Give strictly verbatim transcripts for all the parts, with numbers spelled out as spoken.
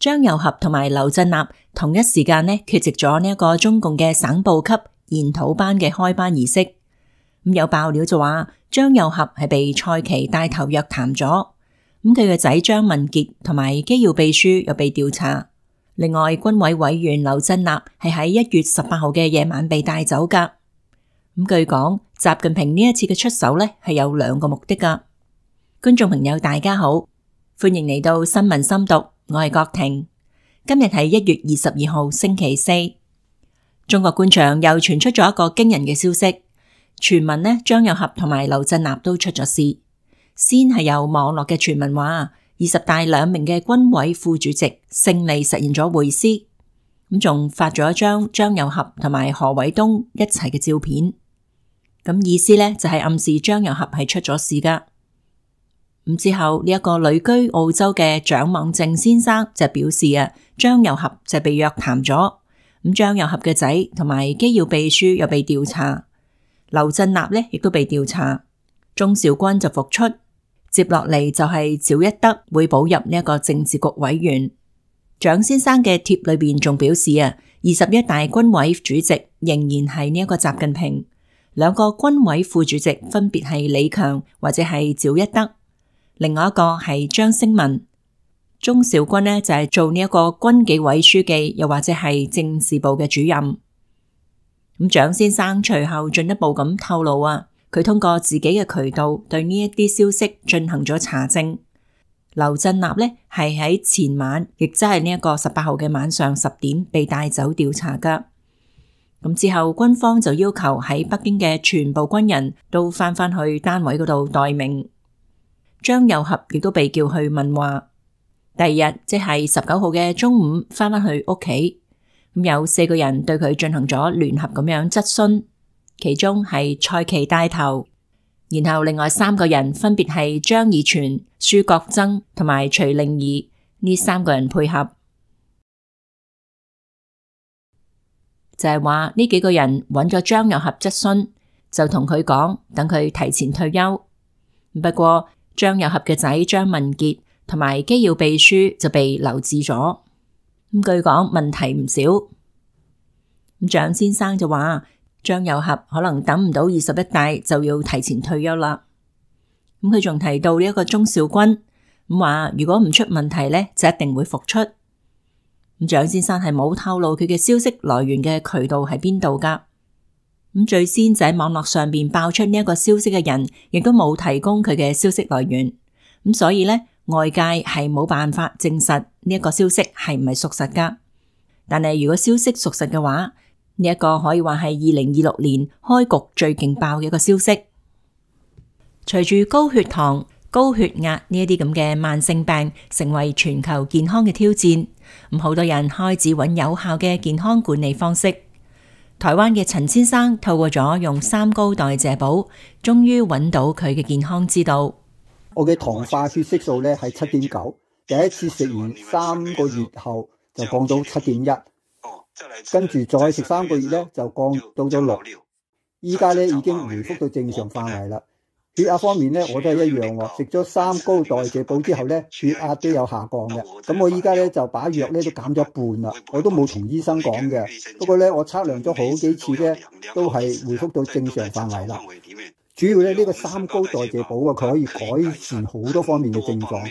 張又俠同埋劉振立同一時間呢缺席咗呢一個中共嘅省部級研討班嘅開班儀式。咁有爆料就話張又俠係被蔡奇帶頭約談咗，咁佢嘅仔張文傑同埋機要秘書又被調查。另外軍委委員劉振立係喺一月十八號嘅夜晚被帶走噶。咁據講，習近平呢一次嘅出手呢係有兩個目的噶。觀眾朋友大家好，歡迎嚟到新聞深讀，我係郭婷。今日係一月二十二號星期四。中國官場又傳出咗一個驚人嘅消息，傳聞呢張又俠同埋劉振立都出咗事。先係有網絡嘅傳聞話，二十大兩名嘅軍委副主席勝利實現咗會師，咁仲發咗一張張又俠同埋何偉東一齊嘅照片，咁意思呢就係暗示張又俠係出咗事噶。咁之後呢一個旅居澳洲嘅蔣猛正先生就表示啊，張又俠就被約談咗，咁張又俠嘅仔同埋機要秘書又被調查，劉振立呢亦都被調查，鍾兆軍就復出。接落嚟就係趙一德會補入呢一個政治局委員。蔣先生嘅貼裏邊仲表示啊，二十一大軍委主席仍然係呢一個習近平，兩個軍委副主席分別係李強或者係趙一德，另外一個係張升文。鍾兆軍呢就係做呢一個軍紀委書記，又或者係政事部嘅主任。咁蔣先生隨後進一步咁透露啊，佢通過自己嘅渠道對呢一啲消息進行咗查證。劉振立呢係喺前晚，亦即係呢一個十八號嘅晚上十點被帶走調查噶。咁之後軍方就要求喺北京嘅全部軍人都翻返去單位嗰度待命。張又俠亦都被叫去問話。第二日即係十九號嘅中午翻返去屋企，咁有四個人對佢進行咗聯合咁樣質詢。其中係蔡奇帶頭，然後另外三個人分別係張以全、舒國珍同埋徐令義，呢三個人配合，就係話呢幾個人揾咗張又俠質詢，就同佢講等佢提前退休。不過張又俠嘅仔張文傑同埋機要秘書就被留置咗。咁據講問題唔少。咁蔣先生就話，張又俠可能等唔到二十一大就要提前退休啦。咁佢仲提到呢一個鍾兆軍，咁話如果唔出問題呢，就一定會復出。咁蔣先生係冇透露佢嘅消息來源嘅渠道喺邊度噶。咁最先就喺網絡上邊爆出呢一個消息嘅人，亦都冇提供佢嘅消息來源。咁所以呢，外界係冇辦法證實呢一個消息係唔係屬實噶。但係如果消息屬實嘅話，呢一個可以話係二零二六年開局最勁爆嘅一個消息。隨住高血糖、高血壓呢一啲咁嘅慢性病成為全球健康嘅挑戰，咁好多人開始揾有效嘅健康管理方式。台灣嘅陳先生透過咗用三高代謝寶，終於揾到佢嘅健康之道。我嘅糖化血色素咧係七點九，第一次食完三個月後就降到七點一。跟住再食三個月咧，就降到咗六。依家咧已經回復到正常範圍啦。血壓方面咧，我都係一樣喎。食咗三高代謝寶之後咧，血壓都有下降嘅。咁我依家咧就把藥咧都減咗一半啦。我都冇同醫生講嘅，不過咧我測量咗好幾次咧，都係回復到正常範圍啦。主要咧呢個三高代謝寶啊，佢可以改善好多方面嘅症狀，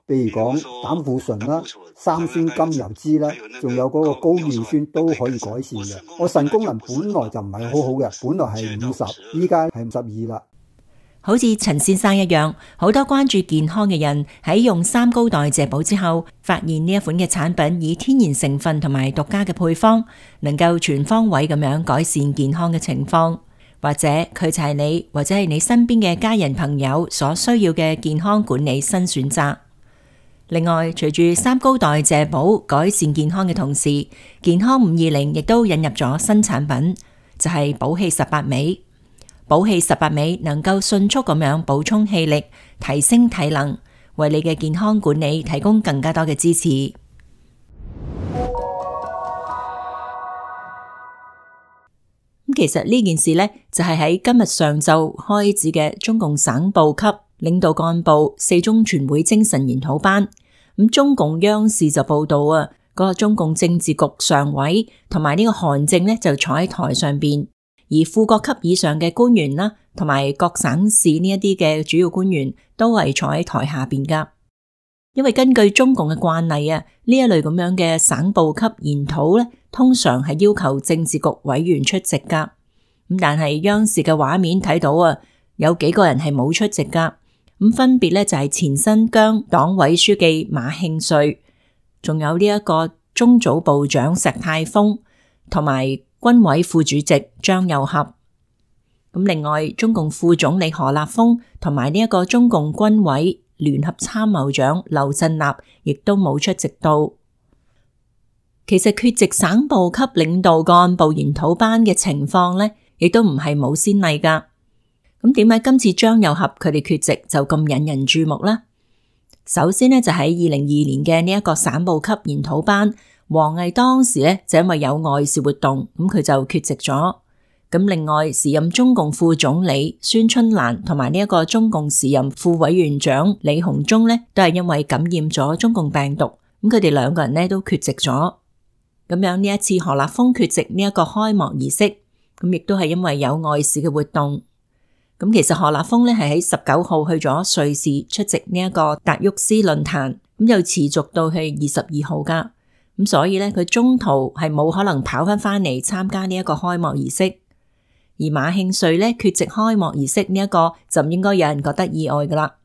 譬如講膽固醇啦、三酸甘油酯啦，仲有嗰個高尿酸都可以改善嘅。我腎功能本來就唔係好好嘅，本來係五十，依家係五十二啦。好似陳先生一樣，好多關注健康嘅人喺用三高代謝寶之後，發現呢一款嘅產品以天然成分同埋獨家嘅配方，能夠全方位咁樣改善健康嘅情況。或者佢就係你或者係你身邊嘅家人朋友所需要嘅健康管理新選擇。另外，隨住三高代謝寶改善健康嘅同時，健康五二零亦都引入咗新產品，就係寶氣十八味。寶氣十八味能夠迅速咁樣補充氣力，提升體能，為你嘅健康管理提供更加多嘅支持。其實呢件事呢，就係喺今日上晝開始嘅中共省部級領導幹部四中全會精神研討班。咁中共央視就報道啊，嗰個中共政治局常委同埋呢個韓正呢就坐喺台上邊，而副國級以上嘅官員啦，同埋各省市呢一啲嘅主要官員都係坐喺台下邊噶。因為根據中共嘅慣例啊，呢一類咁樣嘅省部級研討咧，通常係要求政治局委員出席噶。咁但係央視嘅畫面睇到啊，有幾個人係冇出席噶。咁分別咧就係前新疆黨委書記馬慶瑞，仲有呢一個中組部長石泰峰，同埋軍委副主席張又俠。咁另外，中共副總理何立峰同埋呢一個中共軍委聯合參謀長劉振立亦都冇出席到。其實缺席省部級領導幹部研討班嘅情況呢，亦都唔係冇先例噶。咁點解今次張又俠佢哋缺席就咁引人注目呢？首先呢，就喺二零二年嘅呢一個省部級研討班，王毅當時呢，就因為有外事活動，咁佢就缺席咗。咁另外，時任中共副總理孫春蘭同埋呢一個中共時任副委員長李鴻忠呢，都係因為感染咗中共病毒，咁佢哋兩個人呢都缺席咗。咁樣呢一次何立峰缺席呢一個開幕儀式，咁亦都係因為有外事嘅活動。咁其實何立峰呢係喺十九號去咗瑞士出席呢一個達沃斯論壇，咁又持續到去二十二號噶。咁所以呢，佢中途係冇可能跑翻翻嚟參加呢一個開幕儀式。而馬慶瑞咧缺席開幕儀式呢一個就唔應該有人覺得意外噶啦，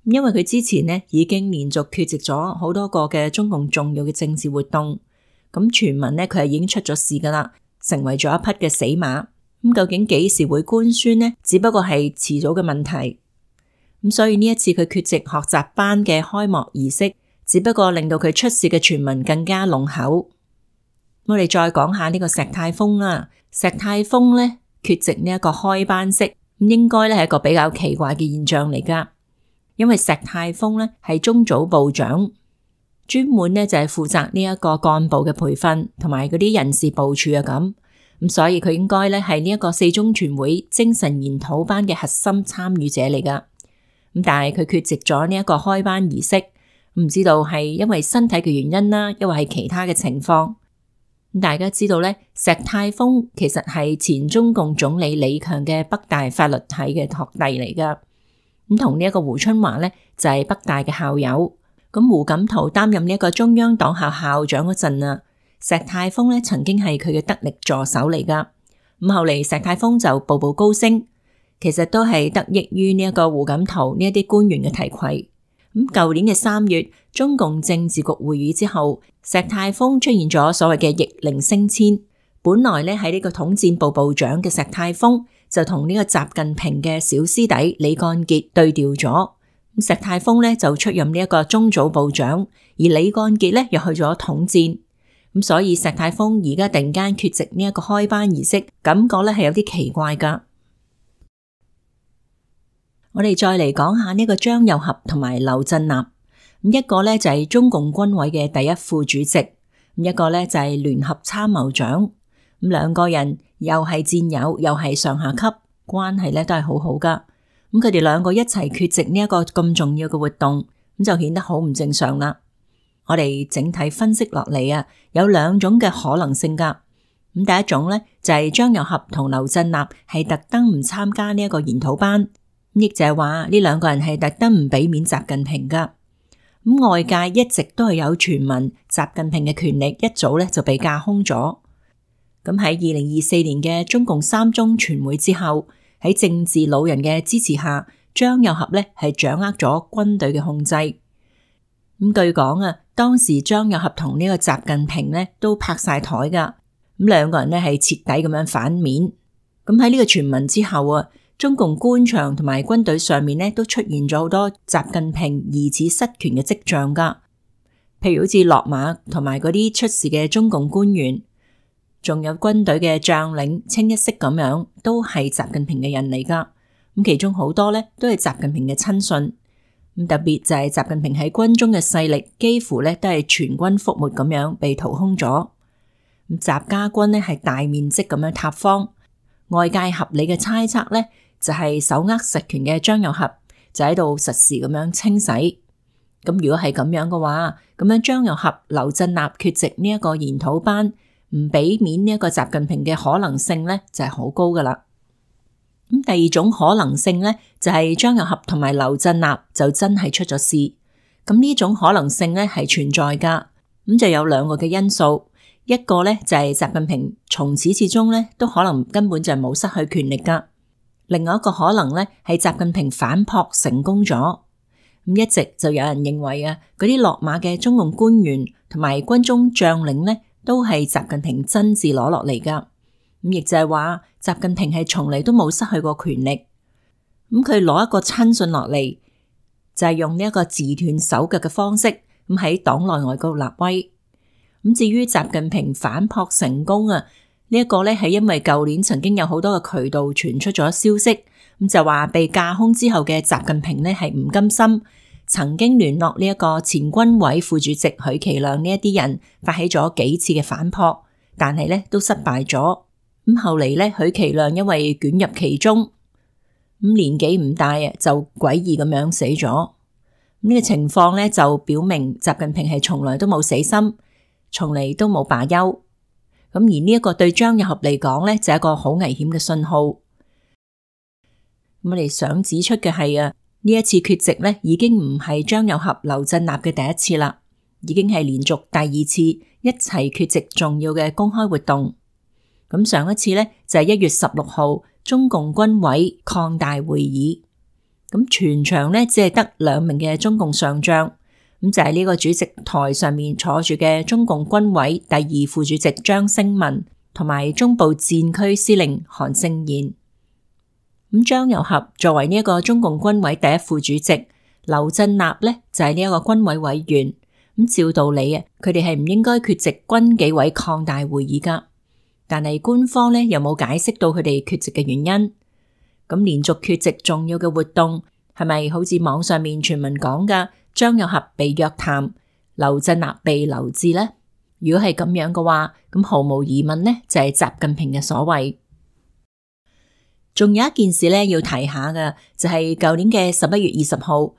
因為佢之前呢已經連續缺席咗好多個嘅中共重要嘅政治活動，咁傳聞呢，佢係已經出咗事噶啦，成為咗一匹嘅死馬。咁究竟幾時會官宣呢？只不過係遲早嘅問題。咁所以呢一次佢缺席學習班嘅開幕儀式，只不過令到佢出事嘅傳聞更加濃厚。我哋再講下呢個石泰峰啦，石泰峰呢。缺席呢一個開班式，咁應該咧係一個比較奇怪嘅現象嚟噶。因為石泰峰咧係中組部長，專門咧就係負責呢一個幹部嘅培訓同埋嗰啲人事部署啊咁，咁所以佢應該咧係呢一個四中全會精神研討班嘅核心參與者嚟噶。咁但係佢缺席咗呢一個開班儀式，唔知道係因為身體嘅原因啦，抑或係其他嘅情況。大家知道咧，石泰峰其實係前中共總理李強嘅北大法律系嘅學弟嚟噶，咁同呢一個胡春華咧就係北大嘅校友。咁胡錦濤擔任呢一個中央黨校校長嗰陣啊，石泰峰咧曾經係佢嘅得力助手嚟噶。咁後嚟石泰峰就步步高升，其實都係得益於呢一個胡錦濤呢一啲官員嘅提攜。咁舊年嘅三月，中共政治局會議之後，石泰峰出現咗所謂嘅逆齡升遷。本來咧喺呢個統戰部部長嘅石泰峰就同呢個習近平嘅小師弟李幹傑對調咗。咁石泰峰咧就出任呢一個中組部長，而李幹傑咧又去咗統戰。咁所以石泰峰而家突然間缺席呢一個開班儀式，感覺咧係有啲奇怪噶。我哋再嚟講下呢個張又俠同埋劉振立，咁一個咧就係中共軍委嘅第一副主席，咁一個咧就係聯合參謀長，咁兩個人又係戰友，又係上下級，關係咧都係好好噶。咁佢哋兩個一齊缺席呢一個咁重要嘅活動，咁就顯得好唔正常啦。我哋整體分析落嚟啊，有兩種嘅可能性噶。咁第一種咧就係張又俠同劉振立係特登唔參加呢一個研討班。亦就係話呢兩個人係特登唔俾面習近平噶。咁外界一直都係有傳聞，習近平嘅權力一早咧就被架空咗。咁喺二零二四年嘅中共三中全會之後，喺政治老人嘅支持下，張又俠咧係掌握咗軍隊嘅控制。咁據講啊，當時張又俠同呢個習近平咧都拍晒台噶。咁兩個人咧係徹底咁樣反面。咁喺呢個傳聞之後啊，中共官場同埋軍隊上面咧都出現咗好多習近平疑似失權嘅跡象噶，譬如好似落馬同埋嗰啲出事嘅中共官員，仲有軍隊嘅將領清一色咁樣，都係習近平嘅人嚟噶。咁其中好多咧都係習近平嘅親信，咁特別就係習近平喺軍中嘅勢力，幾乎咧都係全軍覆沒咁樣被掏空咗。咁習家軍咧係大面積咁樣塌方，外界合理嘅猜測咧，就係手握實權嘅張又俠就喺度實時咁樣清洗。咁如果係咁樣嘅話，咁樣張又俠、劉振立缺席呢一個研討班，唔俾面呢一個習近平嘅可能性咧就係好高噶啦。咁第二種可能性咧就係張又俠同埋劉振立就真係出咗事。咁呢種可能性咧係存在噶。咁就有兩個嘅因素，一個咧就係習近平從始至終咧都可能根本就冇失去權力噶。另外一個可能咧係習近平反撲成功咗。咁一直就有人認為啊，嗰啲落馬嘅中共官員同埋軍中將領咧都係習近平親自攞落嚟噶。咁亦就係話習近平係從嚟都冇失去過權力。咁佢攞一個親信落嚟，就係用呢一個自斷手腳嘅方式，咁喺黨內外嗰度立威。咁至於習近平反撲成功啊，呢一個咧係因為舊年曾經有好多嘅渠道傳出咗消息，咁就話被架空之後嘅習近平咧係唔甘心，曾經聯絡呢一個前軍委副主席許其亮呢一啲人，發起咗幾次嘅反撲，但係咧都失敗咗。咁後嚟咧許其亮因為捲入其中，咁年紀唔大啊，就詭異咁樣死咗。呢個情況咧就表明習近平係從來都冇死心，從嚟都冇罷休。咁而呢一個對張又俠嚟講咧就係一個好危險嘅信號。咁我哋想指出嘅係啊，呢一次缺席咧已經唔係張又俠、劉振立嘅第一次啦，已經係連續第二次一齊缺席重要嘅公開活動。咁上一次咧就係一月十六號中共軍委擴大會議。咁全場咧只係得兩名嘅中共上將，咁就係呢個主席台上面坐住嘅中共軍委第二副主席張升文，同埋中部戰區司令韓勝賢。咁張又俠作為呢一個中共軍委第一副主席，劉振立咧就係呢一個軍委委員。咁照道理啊，佢哋係唔應該缺席軍紀委擴大會議噶，但係官方咧又冇解釋到佢哋缺席嘅原因。咁連續缺席重要嘅活動，係咪好似網上面傳聞講嘅張又俠被約談，劉振立被留置呢？如果係咁樣嘅話，咁毫無疑問呢就係習近平嘅所為。仲有一件事咧要提下嘅，就係舊年嘅十一月二十號，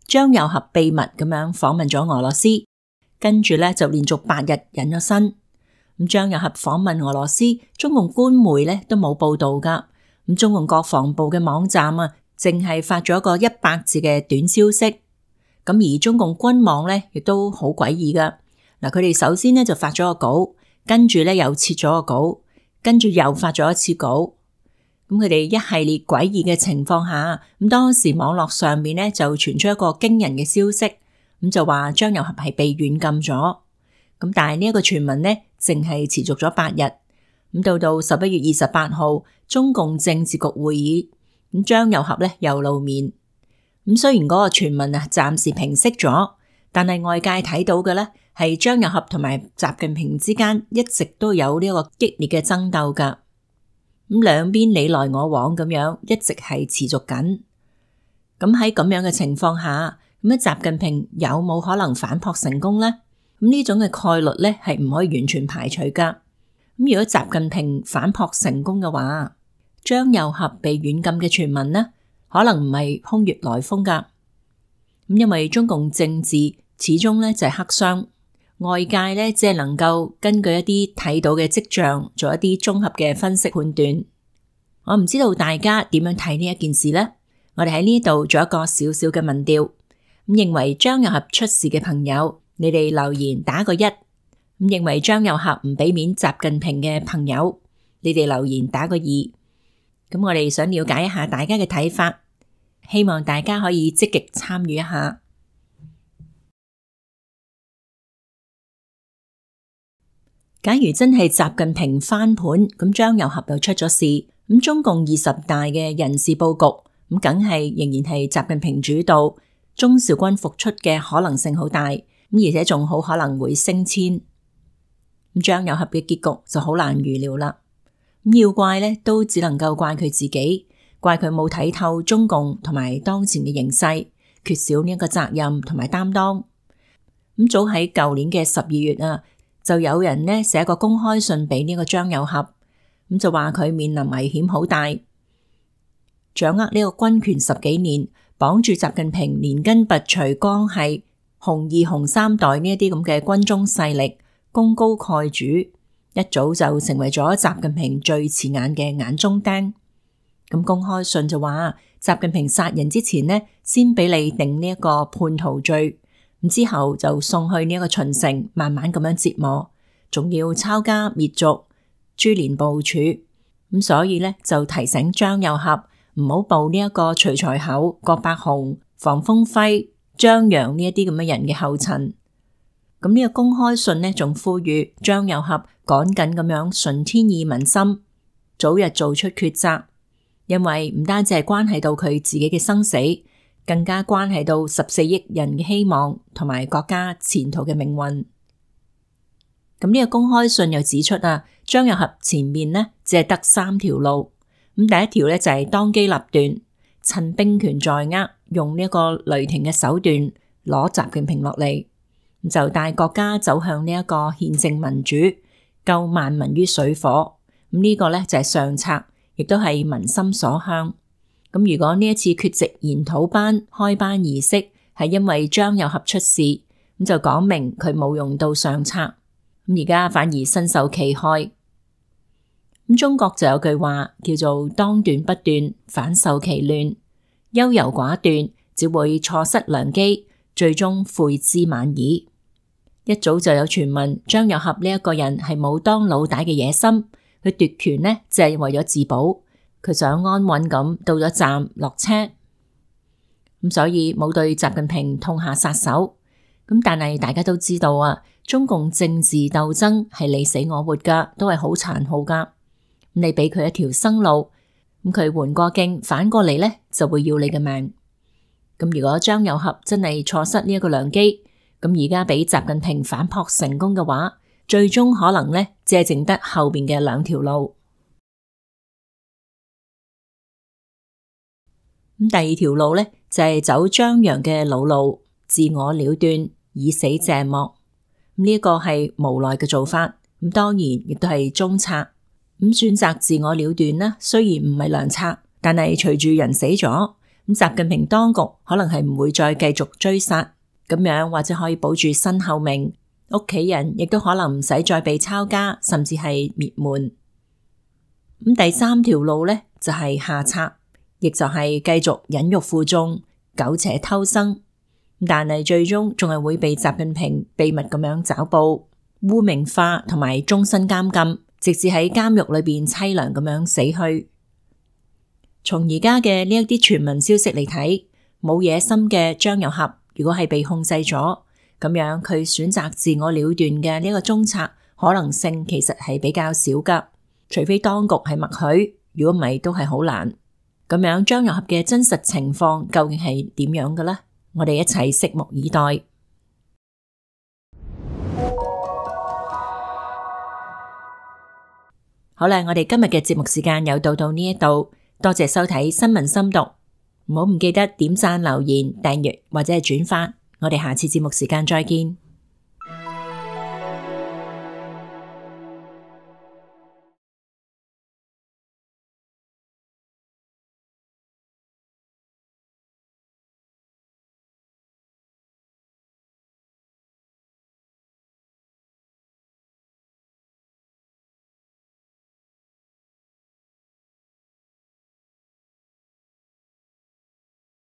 張又俠秘密咁樣訪問咗俄羅斯，跟住咧就連續八日隱咗身。咁張又俠訪問俄羅斯，中共官媒咧都冇報道噶。咁中共國防部嘅網站啊，淨係發咗一個一百字嘅短消息。咁而中共軍網咧，亦都好詭異噶。嗱，佢哋首先咧就發咗個稿，跟住咧又撤咗個稿，跟住又發咗一次稿。咁佢哋一系列詭異嘅情況下，咁當時網絡上面咧就傳出一個驚人嘅消息，咁就話張又俠係被軟禁咗。咁但係呢一個傳聞咧，淨係持續咗八日。咁到到十一月二十八號，中共政治局會議，咁張又俠咧又露面。咁雖然嗰個傳聞啊暫時平息咗，但係外界睇到嘅咧係張又俠同埋習近平之間一直都有呢個激烈嘅爭鬥噶。咁兩邊你來我往咁樣，一直係持續緊。咁喺咁樣嘅情況下，咁啊習近平有冇可能反撲成功咧？咁呢種嘅概率咧係唔可以完全排除噶。咁如果習近平反撲成功嘅話，張又俠被軟禁嘅傳聞呢，可能唔係空穴來風噶。咁因為中共政治始終咧就係黑箱，外界咧只係能夠根據一啲睇到嘅跡象，做一啲綜合嘅分析判斷。我唔知道大家點樣睇呢一件事呢？我哋喺呢度做一個小小嘅民調，咁認為張又俠出事嘅朋友，你哋留言打個一。咁認為張又俠唔俾面習近平嘅朋友，你哋留言打個二。咁我哋想了解一下大家嘅睇法，希望大家可以積極參與一下。假如真係習近平翻盤，咁張又俠又出咗事，咁中共二十大嘅人事佈局，咁梗係仍然係習近平主導，鍾兆軍復出嘅可能性好大，咁而且仲好可能會升遷。咁張又俠嘅結局就好難預料啦。咁要怪咧，都只能夠怪佢自己，怪佢冇睇透中共同埋當前嘅形勢，缺少呢一個責任同埋擔當。咁早喺舊年嘅十二月啊，就有人呢寫個公開信俾呢個張又俠，咁就話佢面臨危險好大，掌握呢個軍權十幾年，綁住習近平連根拔除關係，紅二紅三代呢一啲咁嘅軍中勢力功高蓋主，一早就成為咗習近平最刺眼嘅眼中釘。咁公開信就話，習近平殺人之前呢，先俾你定呢一個叛徒罪，咁之後就送去呢一個秦城，慢慢咁樣折磨，仲要抄家滅族，株連部署。咁所以呢，就提醒張又俠唔好步呢一個徐才厚、郭伯雄、房峰輝、張楊呢一啲咁嘅人嘅後塵。咁呢個公開信呢，仲呼籲張又俠趕緊咁樣順天意民心，早日做出抉擇。因為唔單止係關係到佢自己嘅生死，更加關係到十四億人嘅希望同埋國家前途嘅命運。咁呢個公開信又指出啊，張又俠前面呢只係得三條路。咁第一條呢，就係當機立斷，趁兵權在握，用呢一個雷霆嘅手段攞習近平落嚟，就帶國家走向呢一個憲政民主，救萬民於水火。咁、這、呢個呢，就係上策。亦都係民心所向。咁如果呢一次缺席研討班開班儀式係因為張又俠出事，咁就講明佢冇用到上策。咁而家反而身受其害。咁中國就有句話叫做當斷不斷，反受其亂。優柔寡斷只會錯失良機，最終悔之晚矣。一早就有傳聞張又俠呢一個人係冇當老大嘅野心。佢奪權呢，就係為咗自保，佢想安穩咁到咗站落車，咁所以冇對習近平痛下殺手。咁但係大家都知道啊，中共政治鬥爭係你死我活噶，都係好殘酷噶。咁你俾佢一條生路，咁佢緩過境反過嚟呢，就會要你嘅命。咁如果張又俠真係錯失呢一個良機，咁而家俾習近平反撲成功嘅話，最終可能呢，只係剩得後邊嘅兩條路。咁第二條路呢，就係走張楊嘅老路，自我了斷，以死謝幕。咁呢一個係無奈嘅做法。咁當然亦都係中策。咁選擇自我了斷呢，雖然唔係良策，但係隨住人死咗，咁習近平當局可能係唔會再繼續追殺，咁樣或者可以保住身後名。屋企人亦都可能唔使再被抄家，甚至係滅門。咁第三條路呢，就係下策，亦就係繼續忍辱負重、苟且偷生。但係最終仲係會被習近平秘密咁樣抓捕、污名化同埋終身監禁，直至喺監獄裏邊淒涼咁樣死去。從而家嘅呢一啲傳聞消息嚟睇，冇野心嘅張又俠如果係被控制咗，咁樣佢選擇自我了斷嘅呢個中策可能性其實係比較少噶，除非當局係默許，如果唔係都係好難。咁樣張又俠嘅真實情況究竟係點樣嘅呢？我哋一齊拭目以待。好啦，我哋今日嘅節目時間又到到呢一度，多謝收睇新聞深讀，唔好唔記得點讚、留言、訂閱或者係轉發。我哋下次節目時間再見。